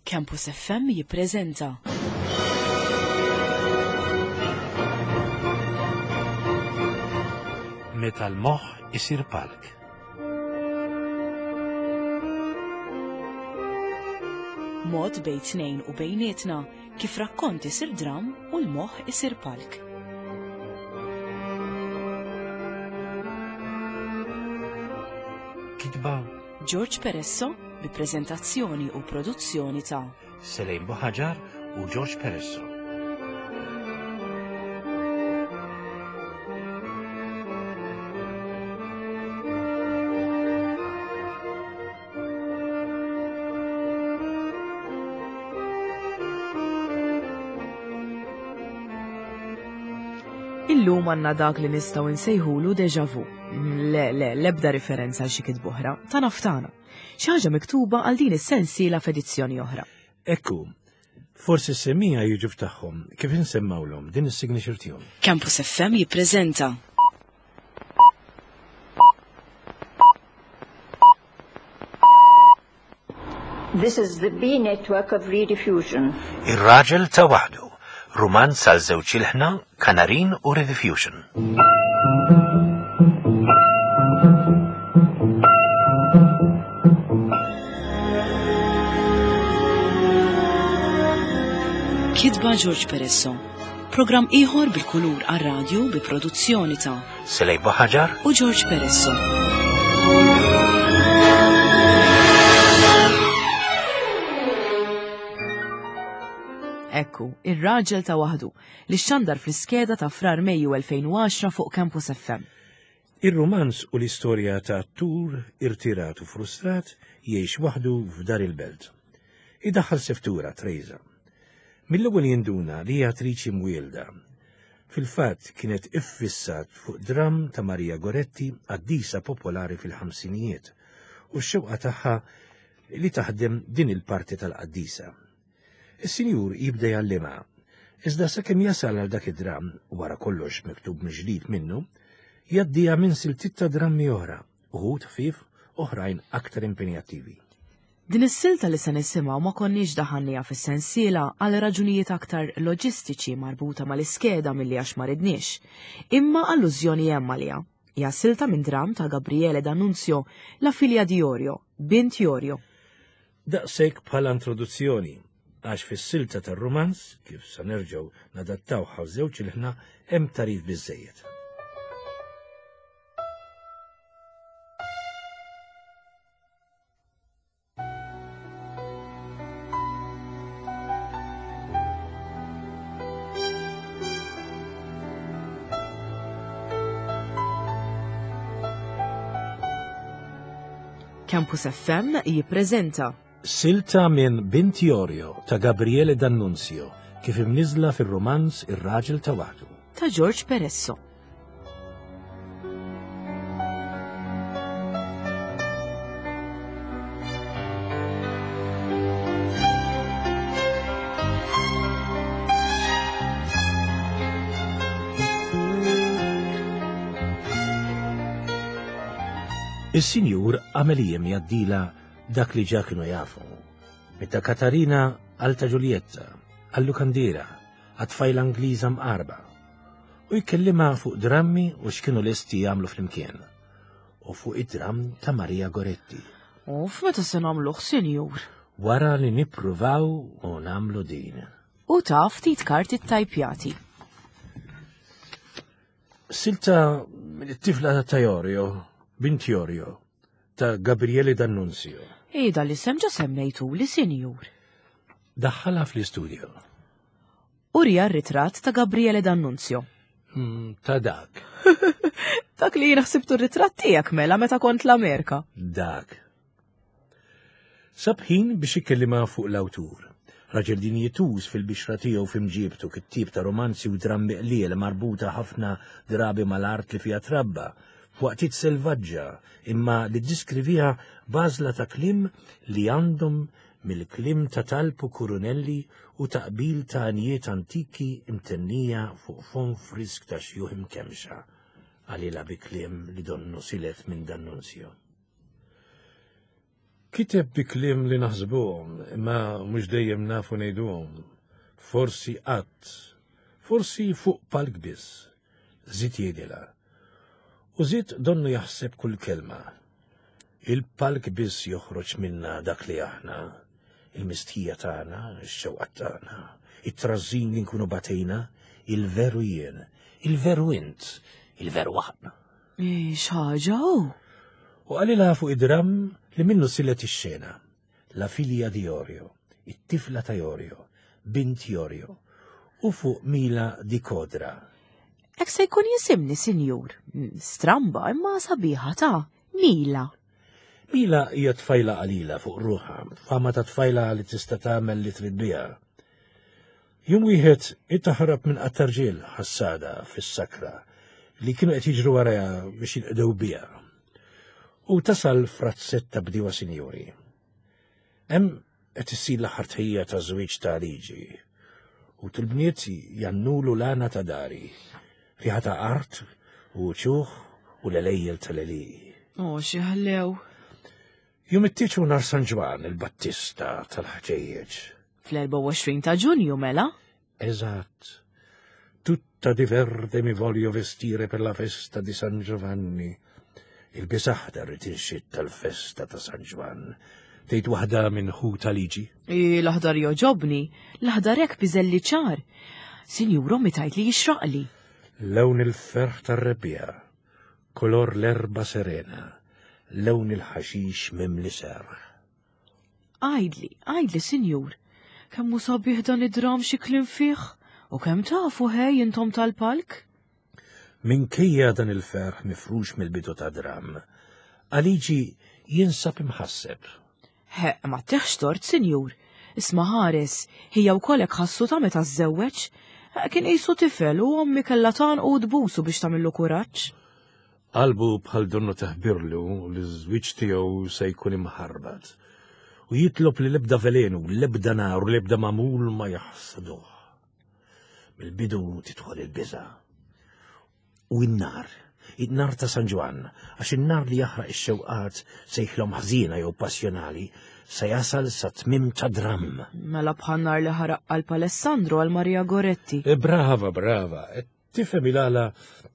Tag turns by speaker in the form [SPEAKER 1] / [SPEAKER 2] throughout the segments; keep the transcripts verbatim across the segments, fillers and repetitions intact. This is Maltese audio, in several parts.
[SPEAKER 1] Campus F M jippreżenta
[SPEAKER 2] Meta l-moħħ isir palk.
[SPEAKER 1] Mod bejn tnejn u bejnietna kif rakkont isir dram u l-moħħ isir palk.
[SPEAKER 2] Kitba
[SPEAKER 1] George Peresso bi preżentazzjoni u produzzjoni ta'
[SPEAKER 2] Selejn Buħaġar u George Peresso.
[SPEAKER 1] Illum għandna dak li nistgħu nsejħulu deja vu. Le, le, lebda riferenza għal xi kitba oħra, ta' naftana. Xi ħaġa miktuba għal din is-sensiela f'edizzjoni oħra.
[SPEAKER 2] Ekku, forsi s-semija jiġu f'tagħhom kif insemmawlhom din is-signature tune.
[SPEAKER 1] Campus F M jippreżenta
[SPEAKER 3] This is the B network of Rediffusion.
[SPEAKER 2] Ir-raġel ta' waħdu, rumanz għal żewġ ilħna, Kanarin u Rediffusion.
[SPEAKER 1] Kitba George Peresso. Programm ieħor bil-kulur għar-radju bi produzzjoni ta'
[SPEAKER 2] Selej Buħaġar
[SPEAKER 1] u George Peresso. Ekku, ir-raġel ta' waħdu li xandar fl-iskeda ta' Frar Mejju elfejn u għaxra fuq Campus F M.
[SPEAKER 2] Ir-rumanz u l-istorja ta' attur irtirat u frustrat jgħix waħdu f'dar il-belt. Idaħħal seftura Trejza. Mill-ewwel jinduna li hija attriċi mwielda. Fil-fatt kienet iffissat fuq dram ta' Maria Goretti, qaddisa popolari fil-ħamsinijiet, u x-xewqa tagħha li taħdem din il-parti tal-qaddisa. Is-sinjur jibda jgħallimha, iżda sakemm jasal għal dak id-dram, wara kollox miktub mill-ġdid minnu, jgħaddiha minn siltiet ta' drammi oħra, uħud ħfief, oħrajn aktar impenjattivi.
[SPEAKER 1] Din is-silta li se nisimgħu ma konniex daħanniha fis-sensiela għal raġunijiet aktar loġistiċi marbuta mal-iskeda milli għax ma ridniex, imma allużjoni hemm għaliha. Hija silta minn dram ta' Gabriele D'Annunzio, La figlia di Iorio, Bint Iorio.
[SPEAKER 2] Daqshekk bħala introduzzjoni, għax fis-silta tar-rumanz, kif sa nerġgħu nadattaw żewġ ilħna, hemm tarif biżejjed.
[SPEAKER 1] Campus F M jippreżenta
[SPEAKER 2] Silta minn Bint Iorio ta' Gabriele D'Annunzio, kif imniżla fir-romanz Ir-Raġel ta' Waħdu.
[SPEAKER 1] Ta' George Peresso.
[SPEAKER 2] Is-sinjur għamel jiem jgħaddila dak li ġa kienu jafu. Meta Katarina għal ta' Giulietta, għal lukandira, għat-tfajla Ingliża mqarba. U jkellimha fuq drammi u x'kienu lesti jagħmlu flimkien. U fuq id-dram ta' Maria Goretti.
[SPEAKER 1] U f'meta se nagħmluh, sinjur?
[SPEAKER 2] Wara li nippruvaw u nagħmlu din.
[SPEAKER 1] U ta' ftit karti tajpjati.
[SPEAKER 2] Silta it-tifla ta' Iorio, Bint Iorio, ta' Gabriele D'Annunzio.
[SPEAKER 1] Ejda li sem ġa semmejtu li, sinjur.
[SPEAKER 2] Daħħalha fl-istudio.
[SPEAKER 1] Urija r-ritratt ta' Gabriele D'Annunzio.
[SPEAKER 2] Mm, ta' dak.
[SPEAKER 1] Dak li jien ħsibtu r-ritratt tiegħek mela meta kont l-Amerika.
[SPEAKER 2] Dak. Sab ħin biex ikellima fuq l-awtur. Raġel dinjituż fil-bixra tiegħu f'imġiebtu, kittib ta' romanzi u drammi qliel marbuta ħafna drabi mal-art li fiha trabba, f'waqtiet selvaġġa, imma li ddiskrivieha b'għażla ta' kliem li għandhom mill-kliem ta' talb u kurunelli u taqbil ta' għanjiet antiki imtennija fuq fon frisk ta' xjuħ imkemxa, għalila bi kliem li donnu silet minn D'Annunzio. Kiteb bi kliem li naħsbuhom, imma mhux dejjem nafu ngħiduhom. Forsi qatt, forsi fuq palk biss. Żied jgħidilha. U żied donnu jaħseb kull kelma. Il-palk biss joħroġ minna dak li aħna, il-mistħija tagħna, ix-xewqat tagħna, it-trażżin li nkunu batejna, il-veru jien, il-veru int, il-veru aħna.
[SPEAKER 1] X'ħaġa hu?
[SPEAKER 2] U qalilha fuq id-dramm li minnu sillet ix-xena. La figlia di Iorio, it-tifla ta' Iorio, bint Iorio, u fuq Mila di Kodra.
[SPEAKER 1] Hekk se jkun jisimni, sinjur. Stramba imma sabiħa ta' Mila.
[SPEAKER 2] Mila hija tfajla qalila fuq ruħha, fama ta' tfajla li tista' tagħmel li trid biha. Jum wieħed taħrab minn qattarġiel ħassada fis-sakra li kienu qed jiġru warajha biex jinqdew biha. U tasal frazzetta bdiewa sinjuri. Hemm qed issir l-aħħar tħejja ta' żwieġ ta' Liġi. U til-bniet jannulu l-għana ta' dari, riħa ta' art u ċuħ u l-elejjel tal-għelieqi.
[SPEAKER 1] O, xi ħlew.
[SPEAKER 2] Jum it-tieġ hu nhar San Ġwann, il-Battista tal-ħġejjeġ.
[SPEAKER 1] Fl-erbgħa u għoxrin ta' Ġunju, mela?
[SPEAKER 2] Eżatt. Tutta di verde mi voglio vestire per la festa di San Giovanni. Il-bies aħdar itinxid tal-festa ta' San Ġwann. Tgħid waħda minn ħuta Liġi?
[SPEAKER 1] I, l-aħdar joġobni, l-aħdar hekk biżelli ċar. Sinjur, ommi tgħid li jixraqli.
[SPEAKER 2] Lewn il-ferħ tar-rebbiegħa, kolor l-erba serena, lewn il-ħaxix mimli serħ.
[SPEAKER 1] Għajdli, għajdli, sinjur, kemm hu sabiħ dan id-dram xi kliem fih, u kemm tafu ħej intom tal-palk?
[SPEAKER 2] Minkejja dan il-ferħ mifrux mill-bidu ta' dram, Aligi jinsab imħasseb.
[SPEAKER 1] He, ma teħx tort, sinjur. Isma' ħares, hija wkoll hekk ħassu ta' meta żżewweġ. Kien qisu tifel u ommi kellha tgħanqu u tbusu biex tagħmillu kuraġġ.
[SPEAKER 2] Qalbu bħal donnu taħbirlu li ż-żwieġ tiegħu se jkun imħarbat. U jitlob li l-ebda velenu, l-ebda nar u l-ebda magħmul ma jaħsaduh. Mill-bidu tidħol il-biża'. U n-nar, in-nar ta' San Ġwann, għax in-nar li jaħraq ix-xewqat sejħlhom ħżiena jew passjonali, se jasal sa tmiem ta' dramm.
[SPEAKER 1] Mela bħal nar li ħaraq qalb Alessandro għal Maria Goretti.
[SPEAKER 2] E brava, brava. Tifhem il-għala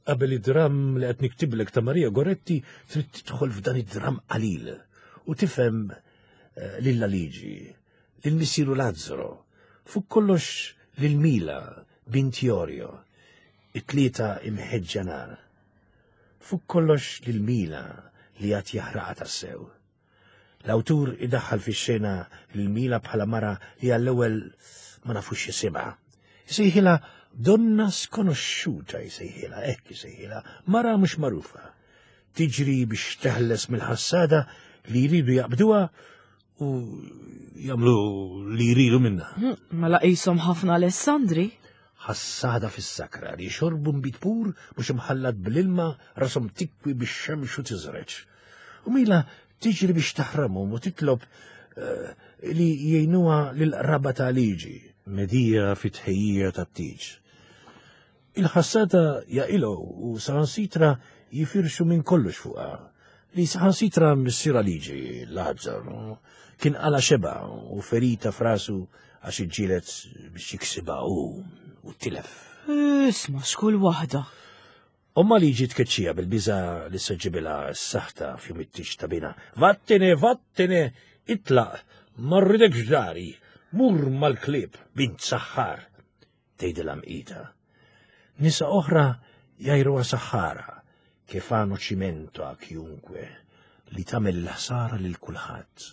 [SPEAKER 2] qabel id-dramm li qed niktiblek ta' Maria Goretti trid tidħol f'dan id-dramm qalil u tifhem lil Aligi, lil missieru Lazzaro, fuq kollox lil Mila, bint Iorio, it-tlieta imħeġġa nar. Fuq kollox lil Mila li għad jaħraqha tassew. L-awtur idaħħal fix-xena lil Mila bħala mara li għall-ewwel ma nafux jisimha. Isejħilha donna skonoxxuta, isejħilha, hekk isejħilha, mara mhux magħrufa. Tiġri biex teħles mill-ħassada li jridu jaqbduha u jagħmlu li jridu minnha.
[SPEAKER 1] Mela qishom ħafna Alessandri.
[SPEAKER 2] Ħassada fis-sakra li xorbu nbid pur mhux imħallat bl-ilma rashom tikwi bix-xemx u tiżreġ. U Mila tiġri biex taħramhom u titlob li jgħinuha lil-qraba ta' Liġi, medija fit-tħejjija tat-tieġ. Il-ħassada jaqilgħu u saħansitra jifirxu minn kollox fuqha. Li saħansitra missiera Liġi, Lazzaro, kien qala xeba u ferita f'rasu għax iġġieled biex jiksibha hu u tilef.
[SPEAKER 1] Isma' x'kull waħda.
[SPEAKER 2] Omma Liġi tkeċċija bil-biża li se ġibilha s-saħta f'jum it-tieġ ta' bina. Vattene, vattene, itlaq, ma rridekx dari, mur mal-klieb, bint saħħar, tgħidilha mqita. Nisa oħra jgħajruha saħħara, kif għanu ċimento a chiunque, li tagħmel l-ħsara lil kulħadd.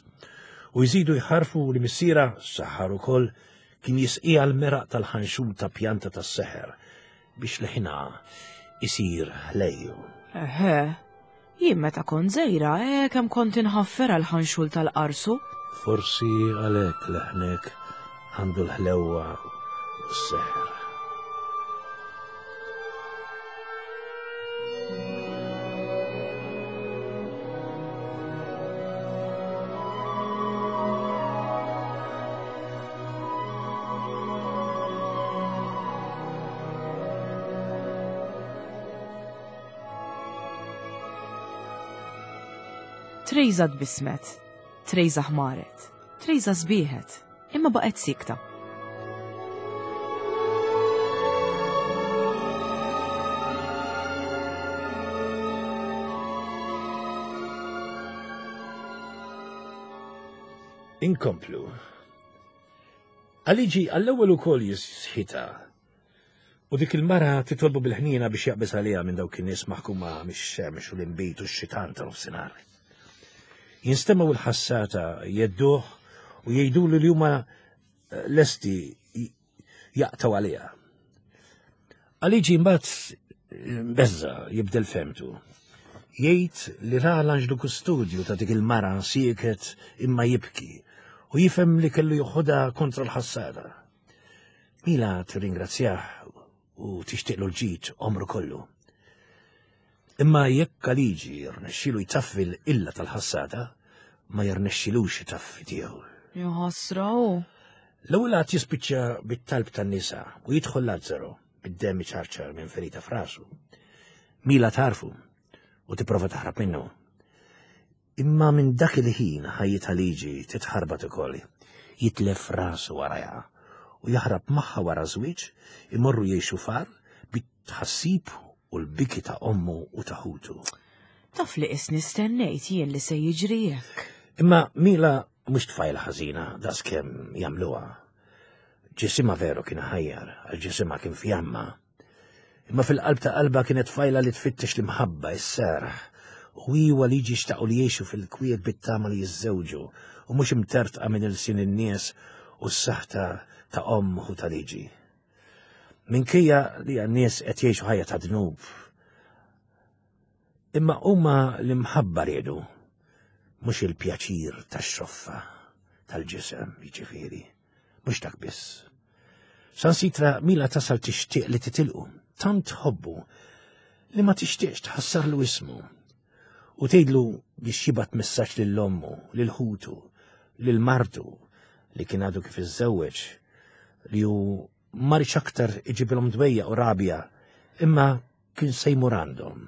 [SPEAKER 2] U jżidu jħarfu li missiera, saħħar ukoll, kien jisqiha l-meraq tal-ħanxul ta' pjanta tas-seħer biex leħinha isir ħlejju.
[SPEAKER 1] Eħe, jien meta kont żgħira, eh, kemm kont inħaffer għall-ħanxul tal-qarsu.
[SPEAKER 2] Forsi għalhekk leħnek għandu l-ħlewwa u s-seħer.
[SPEAKER 1] Trejza tbismet. Trejza ħmaret, Trejza sbieħet, imma baqgħet sikta.
[SPEAKER 2] Inkomplu. Għaliġi għall-ewwel ukoll jisħita. U dik il-mara titolbu bil-ħnina biex jaqbeż għaliha minn dawk in-nies maħkuma mix-xemx u l-inbid u x-xitan ta' nofsinhar. Jinstemgħu l-ħassata jedduh u jgħidulu li huma lesti jaqtaw għaliha. Għaliġi mbagħad beżza jibdel femtu. Jgħid li ra l-anġlu kustodju ta' dik il-mara sieket imma jibki u jifhem li kellu joħodha kontra l-ħassada. Mila tirringrazzjah u tixtieqlu l-ġid omru kollu. Imma jekk Għaliġi jirnexxilu jtaffi l-illa tal-ħassada, ma jirnexxilux jtaffi tiegħu.
[SPEAKER 1] Jaħasra hu.
[SPEAKER 2] L-ewwel għad jispiċċa bit-talb tan-nisa u jidħol Lazzaro bid-demm iċarċar minn ferita f'rasu. Mila tarfu u tipprova taħrab minnu. Imma minn dak il-ħin ħajjitha Għaliġi titħarbat ukoll. Jitlef rasu warajha u jaħrab magħha wara żwieġ, imorru jgħixu far bit-tħassib u l-biki ta' ommu u ta' ħutu.
[SPEAKER 1] Taf li isni stennejt jien li se jiġri hekk.
[SPEAKER 2] Imma Mila mhux tfajla ħażina daqskemm jagħmluha. Ġisimha veru kien ħajjar, għal ġisimha kien fjamma. Imma fil-qalb ta' qalba kienet tfajla li tfittex l-imħabba, is-serħ. U hi u Għaliġi xtaqu li jgħixu fil-kwiet bit-tama li jiżżewġu u mhux imtertqa minn ilsien in-nies u s-saħta ta' omm u ta' liġi. Minkejja li għan-nies qed jgħixu ħajja ta' dnub. Imma huma l-imħabba riedu, mhux il-pjaċir tax-xoffa tal-ġisem, jiġifieri, mhux dak biss. Sansitra Mila tasal tixtieq li titilqu, tant tħobbu li ma tixtieqx tħassarlu ismu. U tgħidlu biex jibgħat messaġġ lil ommu, lil ħutu, lil martu li kien għadu kif iżżewweġ, li hu ma riedx aktar iġibilhom dwejja u rabja, imma kien se jmur għandhom.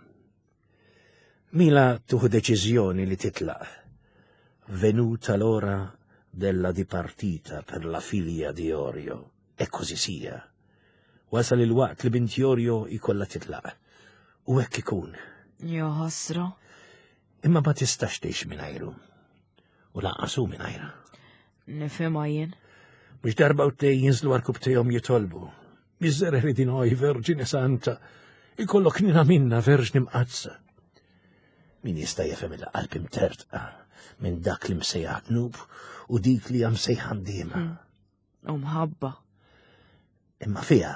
[SPEAKER 2] Mila tuħu deċiżjoni li titlaq. Venuta l'ora della dipartita per la figlia di Orio, e così sia. Wasal il-waqt li bint Jorio ikolla titlaq. U hekk ikun.
[SPEAKER 1] Ja ħasra.
[SPEAKER 2] Imma ma tistax tgħix mingħajru. U lanqas hu mingħajra.
[SPEAKER 1] Nifhimha jien.
[SPEAKER 2] Mhux darba u tnejn jinżlu għal tejhom jitolbu. Miżereri di noi, Verġine Santa, ikollok nina minna, Verġni Mqaddsa. Min jista' jefhem il-qalb imtertqa minn dak li msejjaħ dnub u dik li hija msejħa ndiema.
[SPEAKER 1] U mħabba.
[SPEAKER 2] Imma fiha,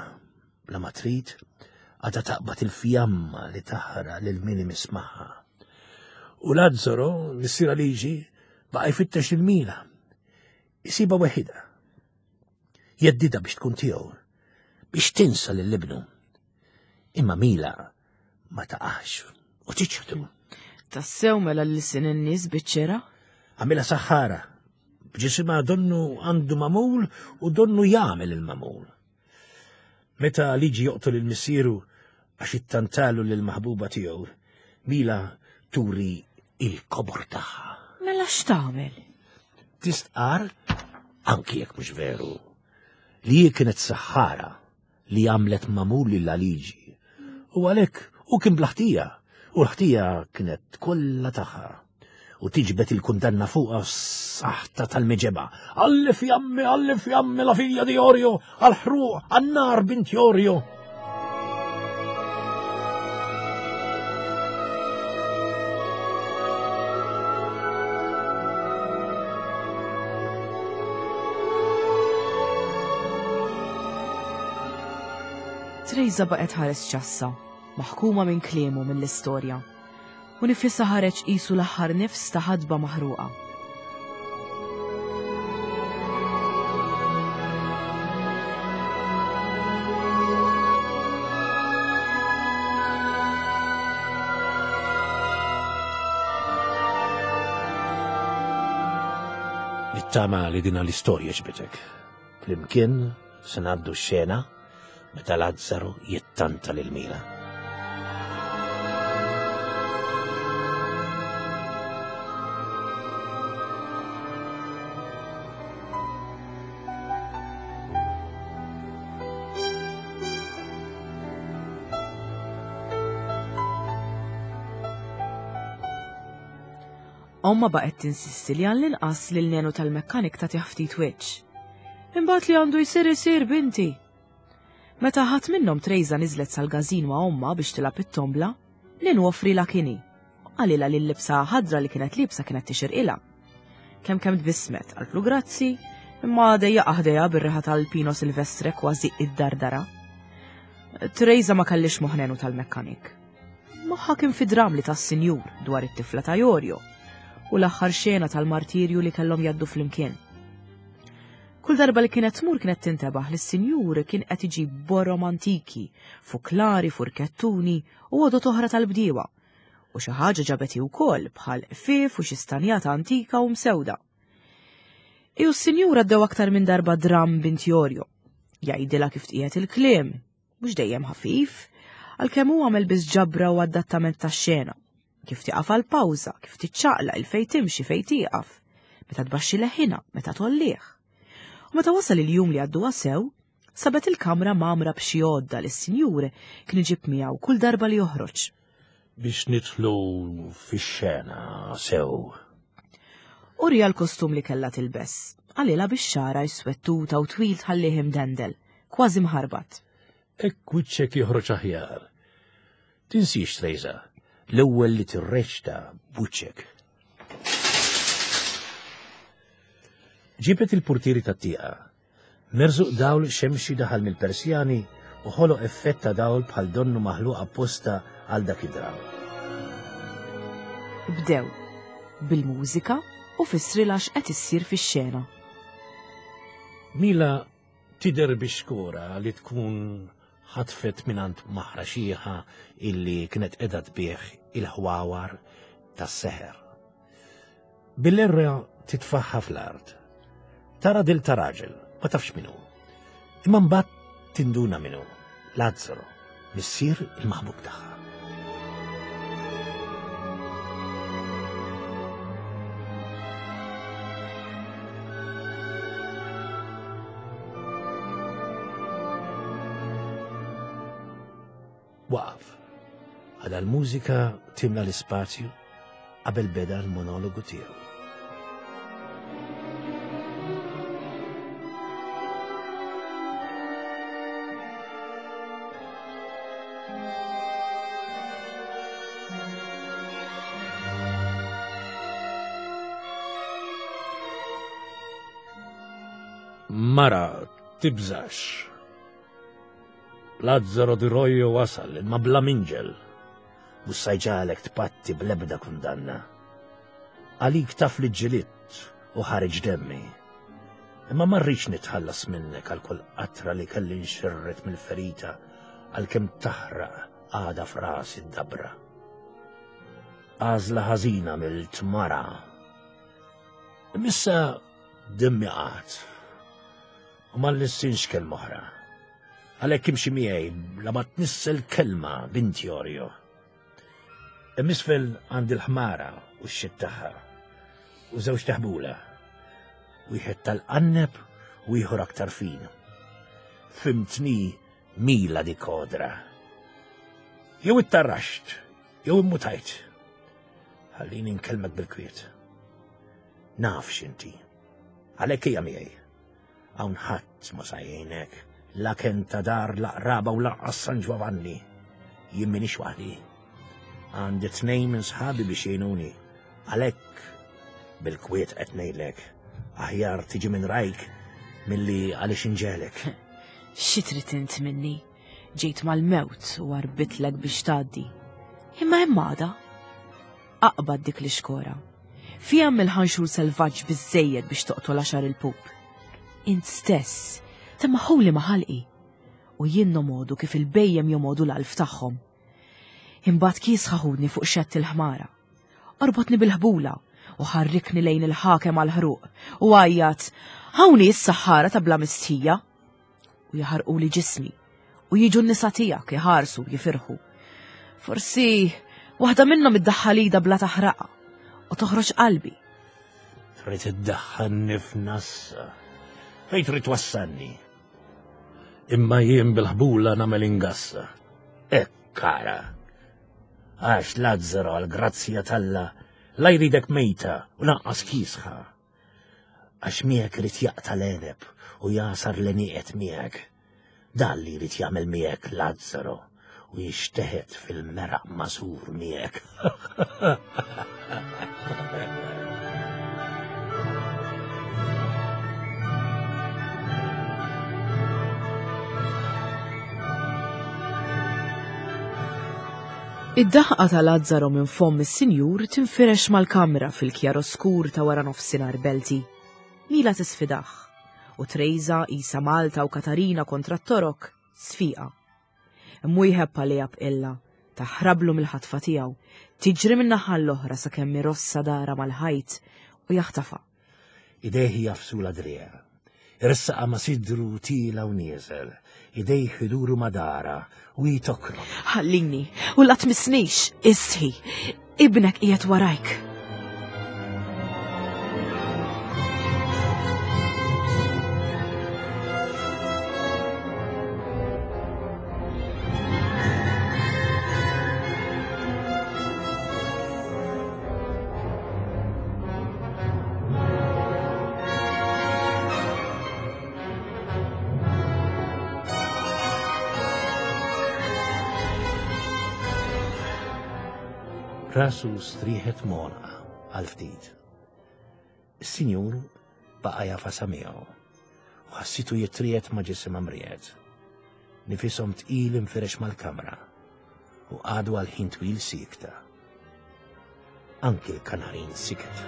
[SPEAKER 2] bla ma trid, għadha taqbad il-fjamma li taħraq lil min imismaħha. U Lazzaro, missier Għaliġi, baqa' jfittex il-Mila. Isiba weħida. Jeddida biex tkun tiegħu, biex tinsa lil ibnu. Imma Mila ma taqax u tiċħdu.
[SPEAKER 1] Tassew mela l-sin in-nies biċ-ċera?
[SPEAKER 2] Għamilha saħħara, b'ġisimha donnu għandu mamul u donnu jagħmel il-mamul. Meta Għaliġi joqtol il-missieru għax ittantalu lill-maħbuba tiegħu, Mila turi il-kobor tagħha.
[SPEAKER 1] Mela x'tagħmel?
[SPEAKER 2] Tistqar, anki jekk mhux veru, li hi kienet saħħara li għamlet mamul lil Għaliġi. U għalhekk u kien bl-ħtija, u l-ħtija kienet kollha tagħha. U tiġbed il-kundanna fuqha s-saħta tal-miġeba. Alli fjammi, alli fjammi la figlia di Orio, għal-ħruq, għan-nar bint Jorio.
[SPEAKER 1] Trejza baqgħet ħares ċassa, maħkuma minn kliemu mill-istorja. U nifisha ħareġ qisu l-aħħar nifs ta' ħadba maħruqa.
[SPEAKER 2] Nittama li dina l-istorja ġbitek. Flimkien se ngħaddu x-xena meta Lazzaro jittanta lil Mila.
[SPEAKER 1] Omma baqgħet tinsisti li għall-inqas lil Nenu tal-mekkanik tagħtih ftit wiċċ. Imbagħad li għandu jsir isir binti. Meta ħadd minnhom Trejza niżlet sal-gażin ma' omma biex tilgħab it-tombla, Nenu offrilha kini. Qalilha li l-libsa ħadra li kienet liebsa kienet tixirqilha. Kemm kemm tbissmet, qaltlu grazzi, imma dejjaqha ħdejha bir-riħa tal-Pino Silvestre kważi id-dardara. Trejza ma kellix moħħ Nenu tal-mekkanik. Moħħha kien fi dram li tas-sinjur dwar it-tifla ta' Jorio u l-aħħar xena tal-martirju li kellhom jgħaddu flimkien. Kull darba li kienet tmur kienet tintebaħ li s-sinjur kien qed iġib borom antiki, fuklari, furkettuni u għodod oħra tal-bdiewa. U xi ħaġa ġabet hi wkoll bħal qfief u xi stanjata antika u msewda. Hi u s-sinjur għaddew aktar minn darba dram bint Jorio. Jgħidilha kif tqiegħed il-kliem, mhux dejjem ħafif, għalkemm hu għamel biss ġabra u adattament tax-xena. Kif tieqaf għal pawża, kif tiċċaqlaq, il fejn timxi, fejn tieqaf, meta tbaxxi leħinha, meta tgħollih. U meta wasal il-jum li għadduha sew, sabet il-kamra mgħammra b'xi għodda li s-sinjur kien iġib miegħu kull darba li joħroġ.
[SPEAKER 2] Biex nidħlu fix-xena sew.
[SPEAKER 1] Uriha l-kostum li kellha tilbes, qalilha biex xagħarha jswed tuta u twil tħallih imdendel, kważi mħarbat.
[SPEAKER 2] Hekk wiċċek joħroġ aħjar. Tinsiex, Trejza, l-ewwel li tirreċta b'wiċċek. Ġibet il-portieri tat-tieqa. Merżuq dawl xemxi daħal mill-Persjani u ħoloq effett ta' dawl bħal donnu maħluq apposta għal dak id-dram.
[SPEAKER 1] Bdew bil-mużika u fissrilha x'qed issir fix-xena.
[SPEAKER 2] Mila tidher bix-xkora li tkun ħatfet mingħand maħra xieħa illi kienet qiegħda tbigħ il-ħwawar tas-seħer. Bil-erra titfaħħa fl-art. Tara dil ta' raġel, ma tafx min hu. Imma mbagħad tinduna min hu, Lazzaro, missier il-maħbub tagħha. Waqaf. Għada l-mużika timla l-ispazju qabel beda l-monologu tiegħu. Mara, tibżax. Lazzaro di Rojo wasal, imma bla minġel. Mhux sa jġagħlek tpatti bl-ebda kundanna. Għalik taf li ġġilidt u ħareġ demmi. Imma ma rridx nitħallas minnek għal kull qatra li kelli nxirret mill-ferita għalkemm taħraq għada f'rasi d-dabra. Għażla ħażina mill-tmara. Imma issa demmi qagħad. U ma nlissinx kelma oħra. Għalhekk imxi miegħi la ma tnissel kelma bint Jorio. Hemm isfel għandi l-ħmara u x-xit tagħha u żewġ taħbula. Wieħed tal-qanneb u ieħor aktar fin. Fimtni Mila di Kodra. Jew ittarraxt, jew immutajt. Ħallini nkellmek bil-kwiet. Naf x'inti. Għalhekk hija miegħi. Hawn ħadd ma sa jgħinek, la ken ta' dar, la qraba u lanqas San Giovanni. Jien m'iniex waħdi. Għandi tnejn minn sħabi biex jgħinuni. Għalhekk bil-kwiet qed ngħidlek, aħjar tiġi minn rajk milli għaliex inġegħlek.
[SPEAKER 1] Xi trid int minni? Ġejt mal-mewt u għarbitlek biex tgħaddi. Imma hemm għada. Aqbad dik l-ixkora. Fiha mill-ħanxur selvaġġ biżejjed biex toqtol għaxar il-pup. Int stess, temmaħuli ma' ħalqi. U jien nomodu kif il-bhejjem jomodu l-għalf tagħhom. Imbagħad kiesħa ħudni fuq xett il-ħmara. Orbotni bil-ħbula u ħarrikni lejn il-ħakem għal-ħruq u għajjat, hawnhi s-saħħara ta' bla mistħija. U jaħarquli ġismi u jiġu n-nisa tiegħek iħarsu jifirħu. Forsi waħda minnhom iddaħħal idha bla taħraqa u toħroġ qalbi.
[SPEAKER 2] Trid iddaħħalni f'nassa. Fejn trid twassalni? Imma jien bil-ħbula nagħmel ingassa. Hekk ara. Għax Lazzaro għall-grazzja t'Alla La jridek mejta u lanqas kiesħa. Għax miegħek irid jaqta' l-għeneb u jasar l-għenieqed miegħek. Dan li jrid jagħmel miegħek Lazzaro u jixteħet fil-meraq masur miegħek.
[SPEAKER 1] Id-daħqa ta' Lazzaro minn fomm is-sinjur tinfirex mal-kamra fil-kjaroskur ta' wara nofsinhar belti. Mila tisfidaħ u Trejza isa Malta u Katarina kontra t-Torok sfiqa. Mwieħeb għaliha b'qilla, taħrablu mill-ħatfa tiegħu, tiġri min-naħa l-oħra sakemm irossa dara mal-ħajt u jaħtafa.
[SPEAKER 2] Idejh jafsu l-driegħ, iressaqa ma' sidru tila u nieżel, idejh iduru ma' dara u jitokro.
[SPEAKER 1] Ħallini u la tmissnix, istħi, ibnek qiegħed warajk.
[SPEAKER 2] Rasu strieħet monqa għal ftit. Is-sinjur baqa' jafasa miegħu u ħassitu jitriet ma' ġisimha mriegħed. Nifishom tqil infirex mal-kamra u qagħdu għal ħin twil siekta. Anki l-kanarin siket.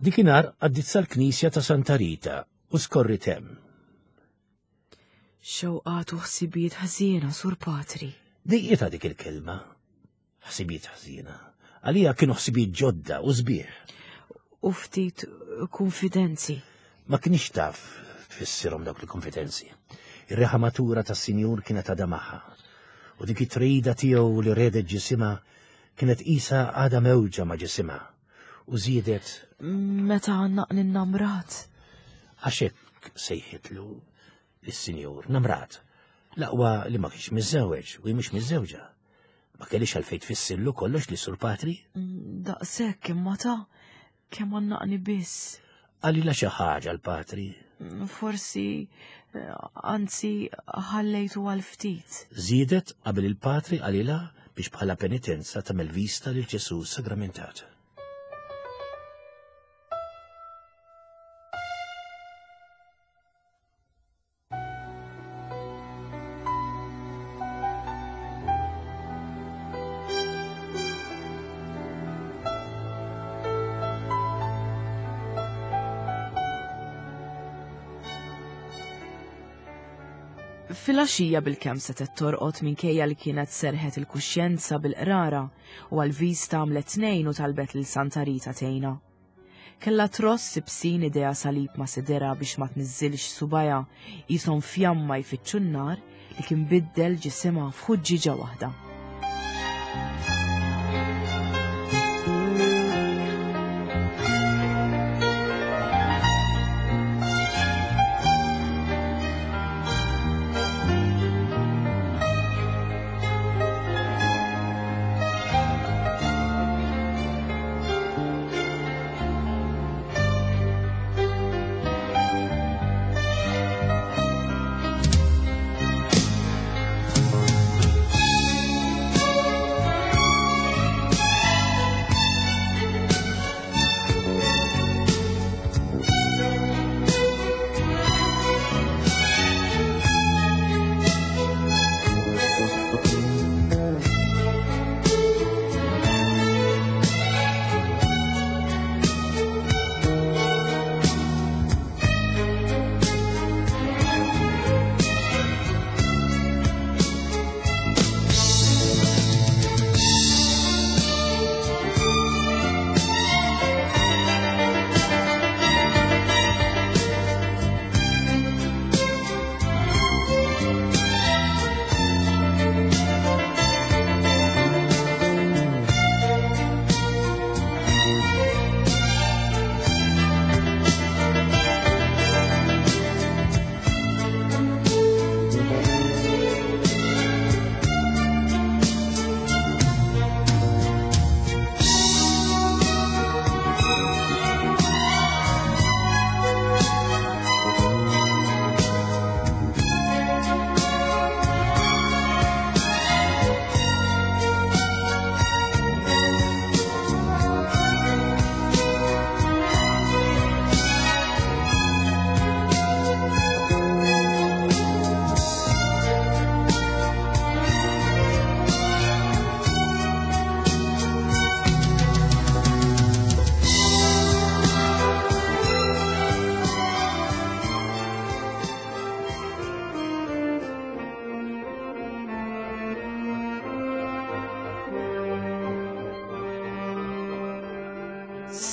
[SPEAKER 2] Dikinhar għaddit sal-knisja ta' Santa Rita u skorrit hemm.
[SPEAKER 1] Xewqat u ħsibijiet ħażiena, Sur Patri.
[SPEAKER 2] Dejqietha dik il-kelma. Ħsibijiet ħażiena. Għalija kienu ħsibijiet ġodda u sbieħ.
[SPEAKER 1] U ftit konfidenzi.
[SPEAKER 2] Ma kienx taf tfissirhom dawk il-konfidenzi. Ir-riħa matura tas-sinjur kienet għadha magħha. U dik it-trida tiegħu li redet ġisimha kienet qisha għadha mewġa ma' ġisimha. U żiedet
[SPEAKER 1] meta għannaqni n-namrat.
[SPEAKER 2] Għax hekk sejħitlu lis-sinjur namrat. L-aqwa li ma kienx miżżewweġ u hi mhux miżżewġa. Ma kellix għalfejn tfissirlu kollox li Sur Patri.
[SPEAKER 1] Daqshekk imma ta' kemm għannaqni biss.
[SPEAKER 2] Qalilha xi ħaġa l-Patri.
[SPEAKER 1] Forsi, anzi, ħallejtu għal ftit.
[SPEAKER 2] Żiedet qabel il-Patri qalilha biex bħala penitenza tagħmel vista lil Ġesù sagramentat.
[SPEAKER 1] Filgħaxija bil-kemm setgħet torqod minkejja li kienet serħet il-kuxjenza bil-qrara u għal-vista għamlet tnejn u talbet lil Santa Rita tgħinha. Kellha tross ibsin idea salib ma' sidera biex ma tniżżilx subajha qishom fjamma jfittxu n-nar li kien biddel ġisimha f'ħuġġieġa waħda.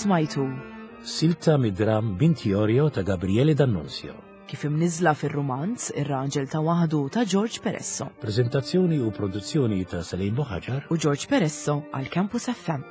[SPEAKER 1] Smajtu
[SPEAKER 2] Silta mid-dram Bint Iorio ta' Gabriele D'Annunzio.
[SPEAKER 1] Kif imniżla fir-rumanz Ir-Raġel ta' Waħdu ta' George Peresso.
[SPEAKER 2] Prezentazzjoni u produzzjoni ta' Salim Buhaġar
[SPEAKER 1] u George Peresso għal Campus F M.